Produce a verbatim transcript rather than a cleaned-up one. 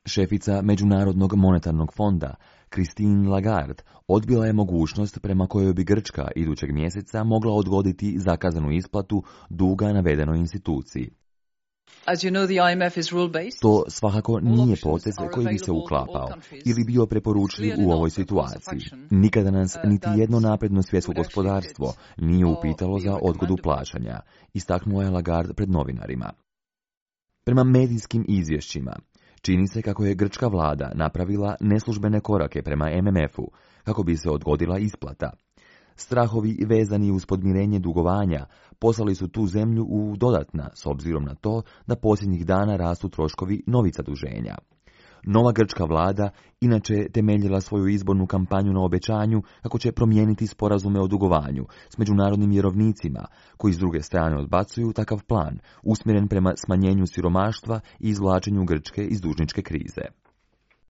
Šefica Međunarodnog monetarnog fonda, Christine Lagarde, odbila je mogućnost prema kojoj bi Grčka idućeg mjeseca mogla odgoditi zakazanu isplatu duga navedenoj instituciji. As you know, the I M F is rule-based. To svakako nije potez koji bi se uklapao ili bio preporučljiv u ovoj situaciji. Nikada nas niti jedno napredno svjetsko gospodarstvo nije upitalo za odgodu plaćanja, istaknuo je Lagarde pred novinarima. Prema medijskim izvješćima, čini se kako je grčka vlada napravila neslužbene korake prema M M F-u kako bi se odgodila isplata. Strahovi vezani uz podmirenje dugovanja poslali su tu zemlju u dodatna, s obzirom na to da posljednjih dana rastu troškovi novih zaduženja. Nova grčka vlada inače temeljila svoju izbornu kampanju na obećanju kako će promijeniti sporazume o dugovanju s međunarodnim vjerovnicima, koji s druge strane odbacuju takav plan, usmjeren prema smanjenju siromaštva i izvlačenju Grčke iz dužničke krize.